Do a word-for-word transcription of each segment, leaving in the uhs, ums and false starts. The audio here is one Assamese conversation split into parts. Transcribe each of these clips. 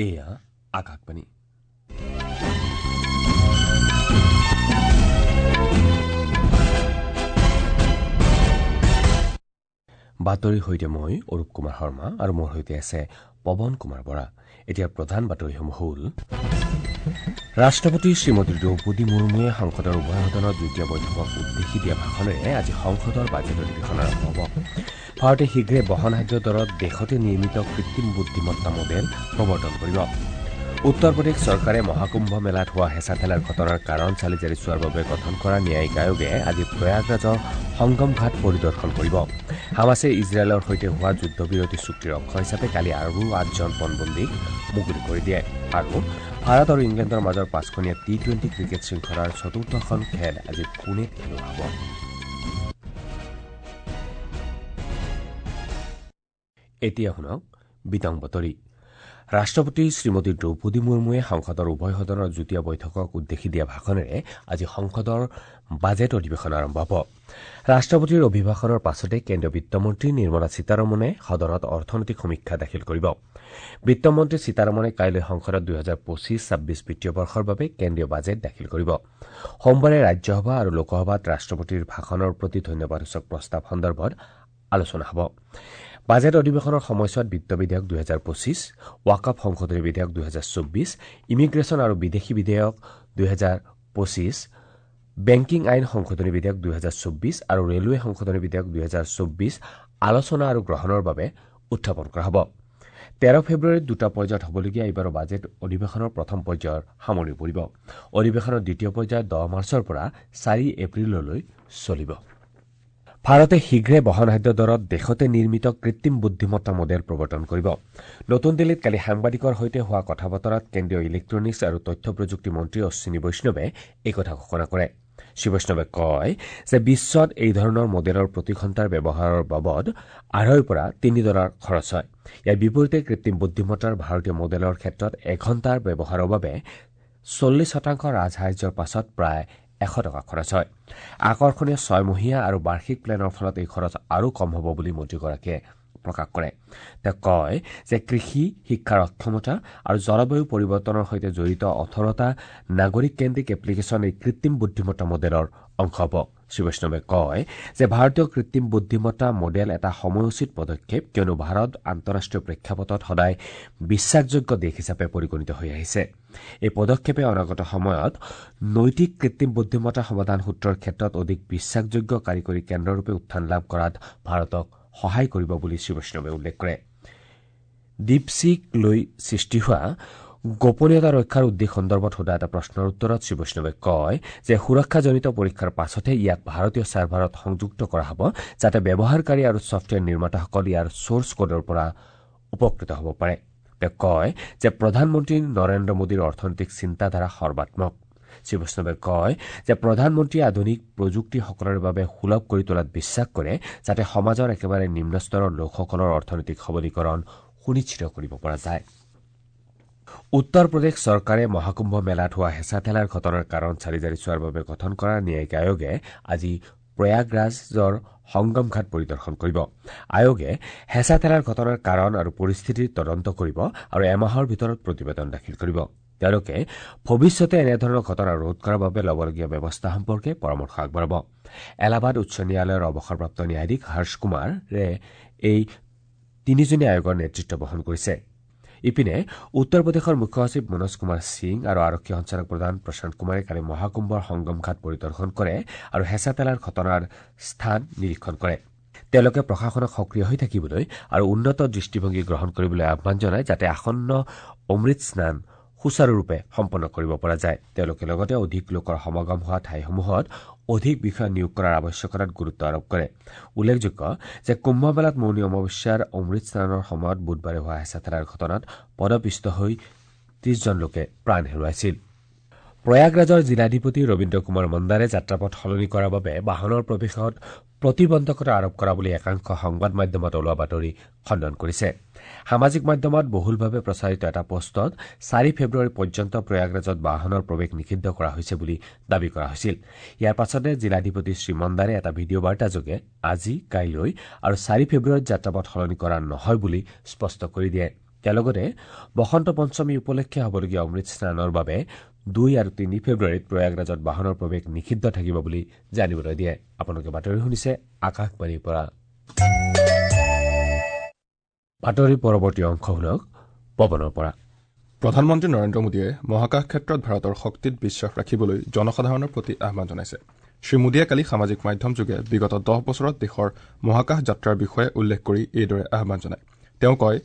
এয়া আকাশবাণী। বাতৰিৰ সৈতে মই অৰূপ কুমাৰ শৰ্মা আৰু মোৰ সৈতে আছে পৱন কুমাৰ বৰা। এতিয়া প্ৰধান বাতৰিসমূহ হ'ল: ৰাষ্ট্ৰপতি শ্ৰীমতী দ্ৰৌপদী মুৰ্মুৱে সংসদৰ উভয় সদনৰ যুটীয়া বৈঠকক উদ্দেশ্যি দিয়া ভাষণেৰে আজি সংসদৰ বাজেট অধিৱেশন আৰম্ভ হ'ব। ভাৰতে শীঘ্ৰে বহনসাধ্য দৰত দেশতে নিৰ্মিত কৃত্ৰিম বুদ্ধিমত্তা মডেল প্ৰৱৰ্তন কৰিব। উত্তৰ প্ৰদেশ চৰকাৰে মহাকুম্ভ মেলাত হোৱা হেঁচা ঠেলাৰ ঘটনাৰ কাৰণ চালি জাৰি চোৱাৰ বাবে গঠন কৰা ন্যায়িক আয়োগে আজি প্ৰয়াগৰাজৰ সংগম ঘাট পৰিদৰ্শন কৰিব। হামাছে ইজৰাইলৰ সৈতে হোৱা যুদ্ধবিৰতি চুক্তিৰ অংশ হিচাপে কালি আৰু আঠজন পণবন্দীক মুকলি কৰি দিয়ে। আৰু ভাৰত আৰু ইংলেণ্ডৰ মাজৰ পাঁচখনীয়া টি টুৱেণ্টি ক্ৰিকেট শৃংখলাৰ চতুৰ্থখন খেল আজি পুনেত খেলোৱা হ'ব। এতিয়া শুনক বিতং বাতৰি। ৰাষ্ট্ৰপতি শ্ৰীমতী দ্ৰৌপদী মুৰ্মুৱে সংসদৰ উভয় সদনৰ যুটীয়া বৈঠকক উদ্দেশ্যি দিয়া ভাষণেৰে আজি সংসদৰ বাজেট অধিৱেশন আৰম্ভ হ'ব। ৰাষ্ট্ৰপতিৰ অভিভাষণৰ পাছতে কেন্দ্ৰীয় বিত্তমন্ত্ৰী নিৰ্মলা সীতাৰমণে সদনত অৰ্থনৈতিক সমীক্ষা দাখিল কৰিব। বিত্তমন্ত্ৰী সীতাৰমণে কাইলৈ সংসদত দুহেজাৰ পঁচিছ ছাব্বিছ বিত্তীয় বৰ্ষৰ বাবে কেন্দ্ৰীয় বাজেট দাখিল কৰিব। সোমবাৰে ৰাজ্যসভা আৰু লোকসভাত ৰাষ্ট্ৰপতিৰ ভাষণৰ প্ৰতি ধন্যবাদসূচক প্ৰস্তাৱ সন্দৰ্ভত আলোচনা হ'ব। বাজেট অধিৱেশনৰ সময়ছোৱাত বিত্ত বিধেয়ক দুহেজাৰ পঁচিছ, ৱাকফ সংশোধনী বিধেয়ক দুহেজাৰ চৌব্বিছ, ইমিগ্ৰেশ্যন আৰু বিদেশী বিধেয়ক দুহেজাৰ পঁচিছ, বেংকিং আইন সংশোধনী বিধেয়ক দুহেজাৰ চৌব্বিছ আৰু ৰেলৱে সংশোধনী বিধেয়ক দুহেজাৰ চৌব্বিছ আলোচনা আৰু গ্ৰহণৰ বাবে উত্থাপন কৰা হ'ব। তেৰ ফেব্ৰুৱাৰীত দুটা পৰ্যায়ত হ'বলগীয়া এইবাৰৰ বাজেট অধিৱেশনৰ প্ৰথম পৰ্যায়ৰ সামৰণি পৰিব। অধিৱেশনৰ দ্বিতীয় পৰ্যায় দহ মাৰ্চৰ পৰা চাৰি এপ্ৰিললৈ চলিব। ভাৰতে শীঘ্ৰে বহনসাধ্য দৰত দেশতে নিৰ্মিত কৃত্ৰিম বুদ্ধিমত্তা মডেল প্ৰৱৰ্তন কৰিব। নতুন দিল্লীত কালি সাংবাদিকৰ সৈতে হোৱা কথা বতৰাত কেন্দ্ৰীয় ইলেক্ট্ৰনিক্স আৰু তথ্য প্ৰযুক্তি মন্ত্ৰী অশ্বিনী বৈষ্ণৱে এই কথা ঘোষণা কৰে। শ্ৰী বৈষ্ণৱে কয় যে বিশ্বত এই ধৰণৰ মডেলৰ প্ৰতি ঘণ্টাৰ ব্যৱহাৰৰ বাবদ আঢ়ৈৰ পৰা তিনি ডলাৰ খৰচ হয়। ইয়াৰ বিপৰীতে কৃত্ৰিম বুদ্ধিমত্তাৰ ভাৰতীয় মডেলৰ ক্ষেত্ৰত এঘণ্টাৰ ব্যৱহাৰৰ বাবে চল্লিছ শতাংশ ৰাজসাহায্যৰ পাছত প্ৰায় এশ টকা খৰচ হয়। আকৰ্ষণীয় ছয়মহীয়া আৰু বাৰ্ষিক প্লেনৰ ফলত এই খৰচ আৰু কম হ'ব বুলি মন্ত্ৰীগৰাকীয়ে প্ৰকাশ কৰে। তেওঁ কয় যে কৃষি, শিক্ষাৰ অক্ষমতা আৰু জলবায়ু পৰিৱৰ্তনৰ সৈতে জড়িত ওঠৰটা নাগৰিককেন্দ্ৰিক এপ্লিকেশ্যন এই কৃত্ৰিম বুদ্ধিমত্তা মডেলৰ অংশ হ'ব। শ্ৰী বৈষ্ণৱে কয় যে ভাৰতীয় কৃত্ৰিম বুদ্ধিমত্তা মডেল এটা সময়োচিত পদক্ষেপ, কিয়নো ভাৰত আন্তঃৰাষ্ট্ৰীয় প্ৰেক্ষাপটত সদায় বিশ্বাসযোগ্য দেশ হিচাপে পৰিগণিত হৈ আহিছে। এই পদক্ষেপে অনাগত সময়ত নৈতিক কৃত্ৰিম বুদ্ধিমত্তা সমাধান সূত্ৰৰ ক্ষেত্ৰত অধিক বিশ্বাসযোগ্য কাৰিকৰী কেন্দ্ৰৰূপে উত্থান লাভ কৰাত ভাৰতক সহায় কৰিব বুলি শ্ৰী বৈষ্ণৱে উল্লেখ কৰে। ডিপছিক লৈ সৃষ্টি হোৱা গোপনীয়তা ৰক্ষাৰ উদ্বেগ সন্দৰ্ভত সোধা এটা প্ৰশ্নৰ উত্তৰত শ্ৰী বৈষ্ণৱে কয় যে সুৰক্ষাজনিত পৰীক্ষাৰ পাছতহে ইয়াক ভাৰতীয় ছাৰ্ভাৰত সংযুক্ত কৰা হ'ব, যাতে ব্যৱহাৰকাৰী আৰু ছফ্টৱেৰ নিৰ্মাতাসকল ইয়াৰ ছ'ৰ্চ কোডৰ পৰা উপকৃত হ'ব পাৰে। তেওঁ কয় যে প্ৰধানমন্ত্ৰী নৰেন্দ্ৰ মোদীৰ অৰ্থনৈতিক চিন্তাধাৰা সৰ্বাত্মক। শ্ৰী বৈষ্ণৱে কয় যে প্ৰধানমন্ত্ৰীয়ে আধুনিক প্ৰযুক্তি সকলোৰে বাবে সুলভ কৰি তোলাত বিশ্বাস কৰে, যাতে সমাজৰ একেবাৰে নিম্ন স্তৰৰ লোকসকলৰ অৰ্থনৈতিক সবলীকৰণ সুনিশ্চিত কৰিব পৰা যায়। উত্তৰ প্ৰদেশ চৰকাৰে মহাকুম্ভ মেলাত হোৱা হেঁচা ঠেলাৰ ঘটনাৰ কাৰণ চালি জাৰি চোৱাৰ বাবে গঠন কৰা ন্যায়িক আয়োগে আজি প্ৰয়াগৰাজৰ সংগম ঘাট পৰিদৰ্শন কৰিব। আয়োগে হেঁচা ঠেলাৰ ঘটনাৰ কাৰণ আৰু পৰিস্থিতিৰ তদন্ত কৰিব আৰু এমাহৰ ভিতৰত প্ৰতিবেদন দাখিল কৰিব। তেওঁলোকে ভৱিষ্যতে এনেধৰণৰ ঘটনা ৰোধ কৰাৰ বাবে ল'বলগীয়া ব্যৱস্থা সম্পৰ্কে পৰামৰ্শ আগবঢ়াব। এলাহাবাদ উচ্চ ন্যায়ালয়ৰ অৱসৰপ্ৰাপ্ত ন্যায়াধীশ হৰ্ষ কুমাৰে এই তিনিজনীয়া আয়োগৰ নেতৃত্ব বহন কৰিছে। ইপিনে উত্তৰ প্ৰদেশৰ মুখ্য সচিব মনোজ কুমাৰ সিং আৰু আৰক্ষী সঞ্চালক প্ৰধান প্ৰশান্ত কুমাৰে কালি মহাকুম্ভৰ সংগম ঘাট পৰিদৰ্শন কৰে আৰু হেঁচা ঠেলাৰ ঘটনাৰ স্থান নিৰীক্ষণ কৰে। তেওঁলোকে প্ৰশাসনক সক্ৰিয় হৈ থাকিবলৈ আৰু উন্নত দৃষ্টিভংগী গ্ৰহণ কৰিবলৈ আহ্বান জনায়, যাতে আসন্ন অমৃত স্নান সুচাৰুৰূপে সম্পন্ন কৰিব পৰা যায়। তেওঁলোকে লগতে অধিক লোকৰ সমাগম হোৱা ঠাইসমূহত অধিক বিষয়া নিয়োগ কৰাৰ আৱশ্যকতাত গুৰুত্ব আৰোপ কৰে। উল্লেখযোগ্য যে কুম্ভমেলাত মৌনী অমাৱস্যাৰ অমৃত স্নানৰ সময়ত বুধবাৰে হোৱা হেঁচা ঠেলাৰ ঘটনাত পদপিষ্ট হৈ ত্ৰিশজন লোকে প্ৰাণ হেৰুৱাইছিল। প্ৰয়াগৰাজৰ জিলাধিপতি ৰবীন্দ্ৰ কুমাৰ মন্দাৰে যাত্ৰাপথ সলনি কৰাৰ বাবে বাহনৰ প্ৰৱেশত প্ৰতিবন্ধকতা আৰোপ কৰা বুলি একাংশ সংবাদ মাধ্যমত ওলোৱা বাতৰি খণ্ডন কৰিছে। সামাজিক মাধ্যমত বহুলভাৱে প্ৰচাৰিত এটা পোষ্টত চাৰি ফেব্ৰুৱাৰী পৰ্যন্ত প্ৰয়াগৰাজত বাহনৰ প্ৰৱেশ নিষিদ্ধ কৰা হৈছে বুলি দাবী কৰা হৈছিল। ইয়াৰ পাছতে জিলাধিপতি শ্ৰীমন্দাৰে এটা ভিডিঅ' বাৰ্তাযোগে আজি, কাইলৈ আৰু চাৰি ফেব্ৰুৱাৰীত যাত্ৰাপথ সলনি কৰা নহয় বুলি স্পষ্ট কৰি দিয়ে। তেওঁ লগতে বসন্ত পঞ্চমী উপলক্ষে হ'বলগীয়া অমৃত স্নানৰ বাবে দুই আৰু তিনি ফেব্ৰুৱাৰীত প্ৰয়াগৰাজত বাহনৰ প্ৰৱেশ নিষিদ্ধ থাকিব বুলি জানিবলৈ দিয়ে। আপোনালোকে বাতৰি শুনিছে আকাশবাণীৰ পৰা। বাতৰি পৰৱৰ্তী অংশ শুনক পৱনৰ পৰা। প্ৰধানমন্ত্ৰী নৰেন্দ্ৰ মোদীয়ে মহাকাশ ক্ষেত্ৰত ভাৰতৰ শক্তিত বিশ্বাস ৰাখিবলৈ জনসাধাৰণৰ প্ৰতি আহ্বান জনাইছে। শ্ৰীমোদীয়ে কালি সামাজিক মাধ্যমযোগে বিগত দহ বছৰত দেশৰ মহাকাশ যাত্ৰাৰ বিষয়ে উল্লেখ কৰি এইদৰে আহ্বান জনায়। তেওঁ কয়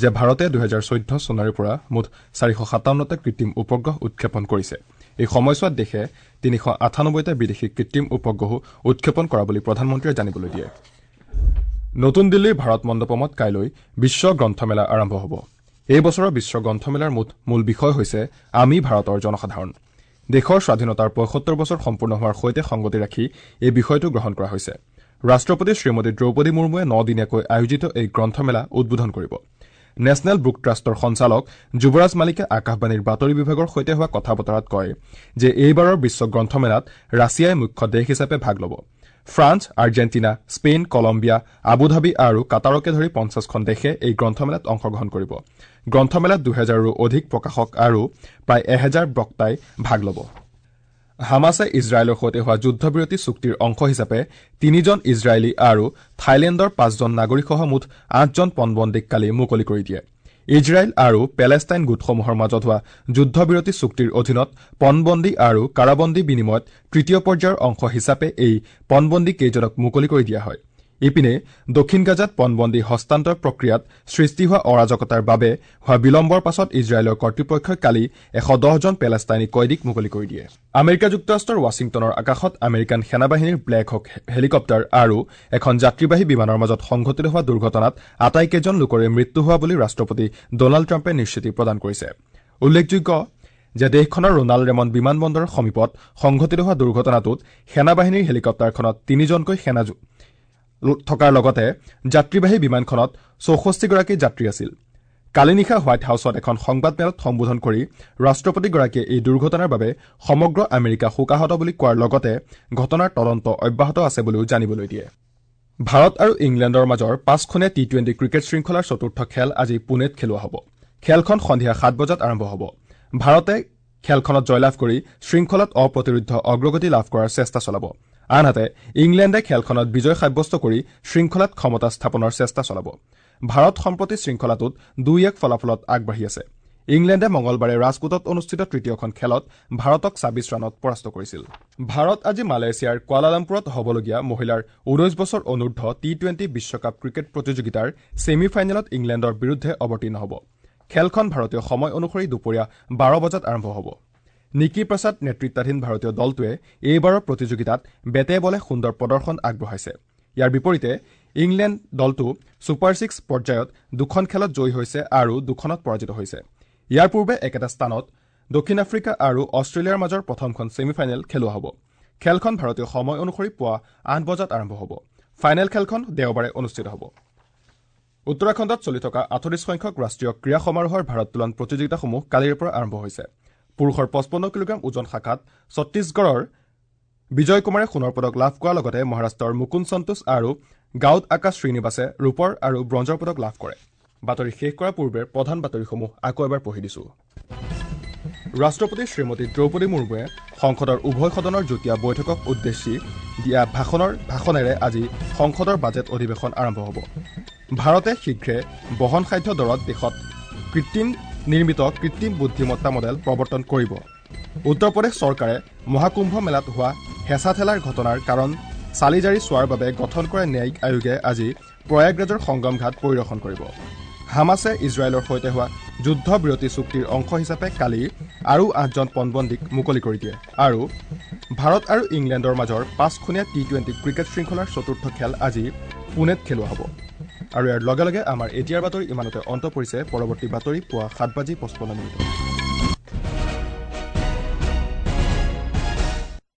যে ভাৰতে দুহেজাৰ চৈধ্য চনৰে পৰা মুঠ চাৰিশ সাতাৱন্নটা কৃত্ৰিম উপগ্ৰহ উৎক্ষেপণ কৰিছে। এই সময়ছোৱাত দেশে তিনিশ আঠানব্বৈটা বিদেশী কৃত্ৰিম উপগ্ৰহো উৎক্ষেপণ কৰা বুলি প্ৰধানমন্ত্ৰীয়ে জানিবলৈ দিয়ে। নতুন দিল্লীৰ ভাৰত মণ্ডপমত কাইলৈ বিশ্ব গ্ৰন্থমেলা আৰম্ভ হ'ব। এই বছৰৰ বিশ্ব গ্ৰন্থমেলাৰ মূল বিষয় হৈছে আমি ভাৰতৰ জনসাধাৰণ। দেশৰ স্বাধীনতাৰ পঁয়সত্তৰ বছৰ সম্পূৰ্ণ হোৱাৰ সৈতে সংগতি ৰাখি এই বিষয়টো গ্ৰহণ কৰা হৈছে। ৰাষ্ট্ৰপতি শ্ৰীমতী দ্ৰৌপদী মুৰ্মুৱে নদিনীয়াকৈ আয়োজিত এই গ্ৰন্থমেলা উদ্বোধন কৰিব। নেশ্যনেল বুক ট্ৰাষ্টৰ সঞ্চালক যুৱৰাজ মালিকে আকাশবাণীৰ বাতৰি বিভাগৰ সৈতে হোৱা কথা বতৰাত কয় যে এইবাৰৰ বিশ্ব গ্ৰন্থমেলাত ৰাছিয়াই মুখ্য দেশ হিচাপে ভাগ ল'ব। France, Argentina, Spain, Colombia, Abu Dhabi আৰু কাটাৰকে ধৰি পঞ্চাছখন দেশে এই গ্ৰন্থমেলাত অংশগ্ৰহণ কৰিব। গ্ৰন্থমেলাত দুহেজাৰৰো অধিক প্ৰকাশক আৰু প্ৰায় এহেজাৰ বক্তাই ভাগ ল'ব। হামাছে ইজৰাইলৰ সৈতে হোৱা যুদ্ধবিৰতি চুক্তিৰ অংশ হিচাপে তিনিজন ইজৰাইলী আৰু থাইলেণ্ডৰ পাঁচজন নাগৰিকসহ মুঠ আঠজন পণবন্দীক কালি মুকলি কৰি দিয়ে। ইজৰাইল আৰু পেলেষ্টাইন গোটসমূহৰ মাজত হোৱা যুদ্ধবিৰতি চুক্তিৰ অধীনত পণবন্দী আৰু কাৰাবন্দী বিনিময়ত তৃতীয় পৰ্যায়ৰ অংশ হিচাপে এই পণবন্দী কেইজনক মুকলি কৰি দিয়া হয়। ইপিনে দক্ষিণ গাজাত পণবন্দী হস্তান্তৰ প্ৰক্ৰিয়াত সৃষ্টি হোৱা অৰাজকতাৰ বাবে হোৱা বিলম্বৰ পাছত ইজৰাইলৰ কৰ্তৃপক্ষই কালি এশ দহজন পেলেষ্টাইনী কয়দীক মুকলি কৰি দিয়ে। আমেৰিকা যুক্তৰাষ্ট্ৰৰ ৱাশ্বিংটনৰ আকাশত আমেৰিকান সেনাবাহিনীৰ ব্লেক হক হেলিকপ্টাৰ আৰু এখন যাত্ৰীবাহী বিমানৰ মাজত সংঘটিত হোৱা দুৰ্ঘটনাত আটাইকেইজন লোকৰে মৃত্যু হোৱা বুলি ৰাষ্ট্ৰপতি ডনাল্ড ট্ৰাম্পে নিশ্চিতি প্ৰদান কৰিছে। উল্লেখযোগ্য যে দেশখনৰ ৰোনাল্ড ৰেমন বিমানবন্দৰৰ সমীপত সংঘটিত হোৱা দুৰ্ঘটনাটোত সেনাবাহিনীৰ হেলিকপ্টাৰখনত তিনিজনকৈ সেনা থকাৰ লগতে যাত্ৰীবাহী বিমানখনত চৌষষ্ঠিগৰাকী যাত্ৰী আছিল। কালি নিশা হোৱাইট হাউছত এখন সংবাদমেলত সম্বোধন কৰি ৰাষ্ট্ৰপতিগৰাকীয়ে এই দুৰ্ঘটনাৰ বাবে সমগ্ৰ আমেৰিকা শোকাহত বুলি কোৱাৰ লগতে ঘটনাৰ তদন্ত অব্যাহত আছে বুলিও জানিবলৈ দিয়ে। ভাৰত আৰু ইংলেণ্ডৰ মাজৰ পাঁচখনীয়া টি টুৱেণ্টি ক্ৰিকেট শৃংখলাৰ চতুৰ্থ খেল আজি পুনেত খেলোৱা হ'ব। খেলখন সন্ধিয়া সাত বজাত আৰম্ভ হ'ব। ভাৰতে খেলখনত জয়লাভ কৰি শৃংখলাত অপ্ৰতিৰোধ্য অগ্ৰগতি লাভ কৰাৰ চেষ্টা চলাব। আনহাতে ইংলেণ্ডে খেলখনত বিজয় সাব্যস্ত কৰি শৃংখলাত ক্ষমতা স্থাপনৰ চেষ্টা চলাব। ভাৰত সম্প্ৰতি শৃংখলাটোত দুই এক ফলাফলত আগবাঢ়ি আছে। ইংলেণ্ডে মঙলবাৰে ৰাজকোটত অনুষ্ঠিত তৃতীয়খন খেলত ভাৰতক ছাব্বিছ ৰানত পৰাস্ত কৰিছিল। ভাৰত আজি মালয়েছিয়াৰ কুৱালালামপুৰত হ'বলগীয়া মহিলাৰ ঊনৈশ বছৰ অনূৰ্ধ্ব টি টুৱেণ্টি বিশ্বকাপ ক্ৰিকেট প্ৰতিযোগিতাৰ ছেমি ফাইনেলত ইংলেণ্ডৰ বিৰুদ্ধে অৱতীৰ্ণ হ'ব। খেলখন ভাৰতীয় সময় অনুসৰি দুপৰীয়া বাৰ বজাত আৰম্ভ হ'ব। নিকি প্ৰসাদ নেতৃত্বাধীন ভাৰতীয় দলটোৱে এইবাৰৰ প্ৰতিযোগিতাত বেটে বলে সুন্দৰ প্ৰদৰ্শন আগবঢ়াইছে। ইয়াৰ বিপৰীতে ইংলেণ্ড দলটো ছুপাৰ ছিক্স পৰ্যায়ত দুখন খেলত জয়ী হৈছে আৰু দুখনত পৰাজিত হৈছে। ইয়াৰ পূৰ্বে একেটা স্থানত দক্ষিণ আফ্ৰিকা আৰু অষ্ট্ৰেলিয়াৰ মাজৰ প্ৰথমখন ছেমি ফাইনেল খেলোৱা হ'ব। খেলখন ভাৰতীয় সময় অনুসৰি পুৱা আঠ বজাত আৰম্ভ হ'ব। ফাইনেল খেলখন দেওবাৰে অনুষ্ঠিত হ'ব। উত্তৰাখণ্ডত চলি থকা আঠত্ৰিশ সংখ্যক ৰাষ্ট্ৰীয় ক্ৰীড়া সমাৰোহৰ ভাৰোত্তোলন প্ৰতিযোগিতাসমূহ কালিৰে পৰা আৰম্ভ হৈছে। পুৰুষৰ পঁচপন্ন কিলোগ্ৰাম ওজন শাখাত ছত্তীশগড়ৰ বিজয় কুমাৰে সোণৰ পদক লাভ কৰাৰ লগতে মহাৰাষ্ট্ৰৰ মুকুন্দ সন্তোষ আৰু গাউদ আকাশ শ্ৰীনিবাসে ৰূপৰ আৰু ব্ৰঞ্জৰ পদক লাভ কৰে। বাতৰি শেষ কৰাৰ পূৰ্বে প্ৰধান বাতৰিসমূহ আকৌ এবাৰ পঢ়ি দিছো। ৰাষ্ট্ৰপতি শ্ৰীমতী দ্ৰৌপদী মুৰ্মুৱে সংসদৰ উভয় সদনৰ যুটীয়া বৈঠকক উদ্দেশ্যি দিয়া ভাষণৰ ভাষণেৰে আজি সংসদৰ বাজেট অধিৱেশন আৰম্ভ হ'ব। ভাৰতে শীঘ্ৰে বহনসাধ্য দৰত দেশত কৃত্ৰিম নিৰ্মিত কৃত্ৰিম বুদ্ধিমত্তা মডেল প্ৰৱৰ্তন কৰিব। উত্তৰ প্ৰদেশ চৰকাৰে মহাকুম্ভ মেলাত হোৱা হেঁচা ঠেলাৰ ঘটনাৰ কাৰণ চালি জাৰি চোৱাৰ বাবে গঠন কৰা ন্যায়িক আয়োগে আজি প্ৰয়াগৰাজৰ সংগম ঘাট পৰিদৰ্শন কৰিব। হামাছে ইজৰাইলৰ সৈতে হোৱা যুদ্ধবিৰতি চুক্তিৰ অংশ হিচাপে কালি আৰু আঠজন পণবন্দীক মুকলি কৰি দিয়ে। আৰু ভাৰত আৰু ইংলেণ্ডৰ মাজৰ পাঁচখনীয়া টি টুৱেণ্টি ক্ৰিকেট শৃংখলাৰ চতুৰ্থ খেল আজি পুনেত খেলোৱা হ'ব। আৰু ইয়াৰ লগে লগে আমাৰ এতিয়াৰ বাতৰি ইমানতে অন্ত পৰিছে। পৰৱৰ্তী বাতৰি পুৱা সাত বাজি পঁচপন্ন মিনিটত।